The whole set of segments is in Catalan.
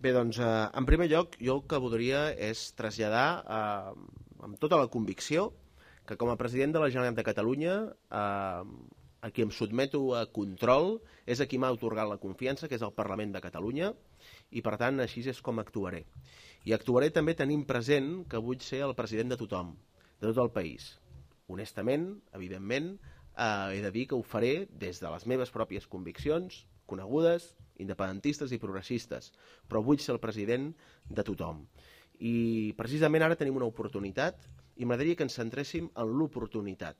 Bé, doncs, en primer lloc, jo el que voldria és traslladar amb tota la convicció que com a president de la Generalitat de Catalunya, a qui em sotmeto a control és a qui m'ha atorgat la confiança, que és el Parlament de Catalunya, i per tant així és com actuaré. I actuaré també tenint present que vull ser el president de tothom, de tot el país. Honestament, evidentment, he de dir que ho faré des de les meves pròpies conviccions, conegudes, independentistes i progressistes, però vull ser el president de tothom. I precisament ara tenim una oportunitat i m'agradaria que ens centréssim en l'oportunitat.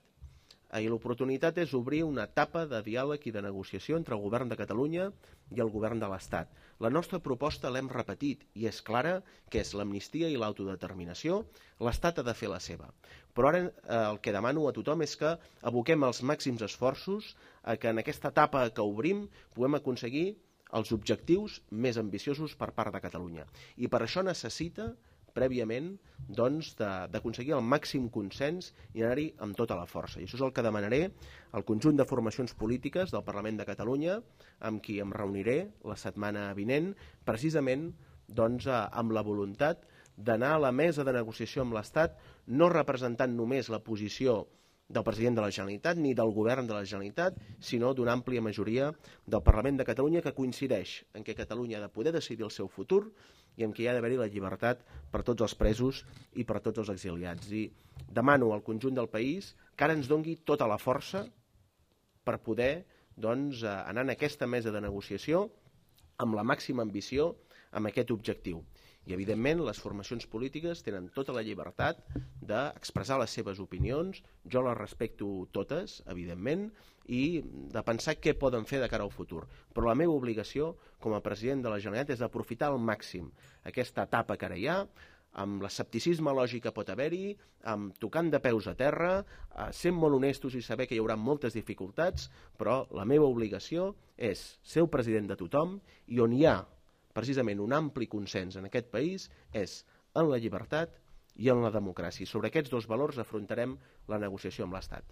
I l'oportunitat és obrir una etapa de diàleg i de negociació entre el govern de Catalunya i el govern de l'Estat. La nostra proposta l'hem repetit i és clara, que és l'amnistia i l'autodeterminació. L'Estat ha de fer la seva. Però ara el que demano a tothom és que aboquem els màxims esforços a que en aquesta etapa que obrim puguem aconseguir els objectius més ambiciosos per part de Catalunya. I per això necessita prèviament d'aconseguir el màxim consens i anar-hi amb tota la força. I això és el que demanaré al conjunt de formacions polítiques del Parlament de Catalunya, amb qui em reuniré la setmana vinent, precisament amb la voluntat d'anar a la mesa de negociació amb l'Estat, no representant només la posició del president de la Generalitat ni del govern de la Generalitat, sinó d'una àmplia majoria del Parlament de Catalunya que coincideix en què Catalunya ha de poder decidir el seu futur i en què hi ha d'haver-hi la llibertat per tots els presos i per tots els exiliats. I demano al conjunt del país que ara ens dongui tota la força per poder anar en aquesta mesa de negociació amb la màxima ambició amb aquest objectiu. I, evidentment, les formacions polítiques tenen tota la llibertat d'expressar les seves opinions, jo les respecto totes, evidentment, i de pensar què poden fer de cara al futur. Però la meva obligació com a president de la Generalitat és aprofitar al màxim aquesta etapa que ara hi ha, amb l'escepticisme lògic que pot haver-hi, amb tocant de peus a terra, sent molt honestos i saber que hi haurà moltes dificultats, però la meva obligació és ser el president de tothom i on hi ha precisament un ampli consens en aquest país és en la llibertat i en la democràcia. Sobre aquests dos valors afrontarem la negociació amb l'Estat.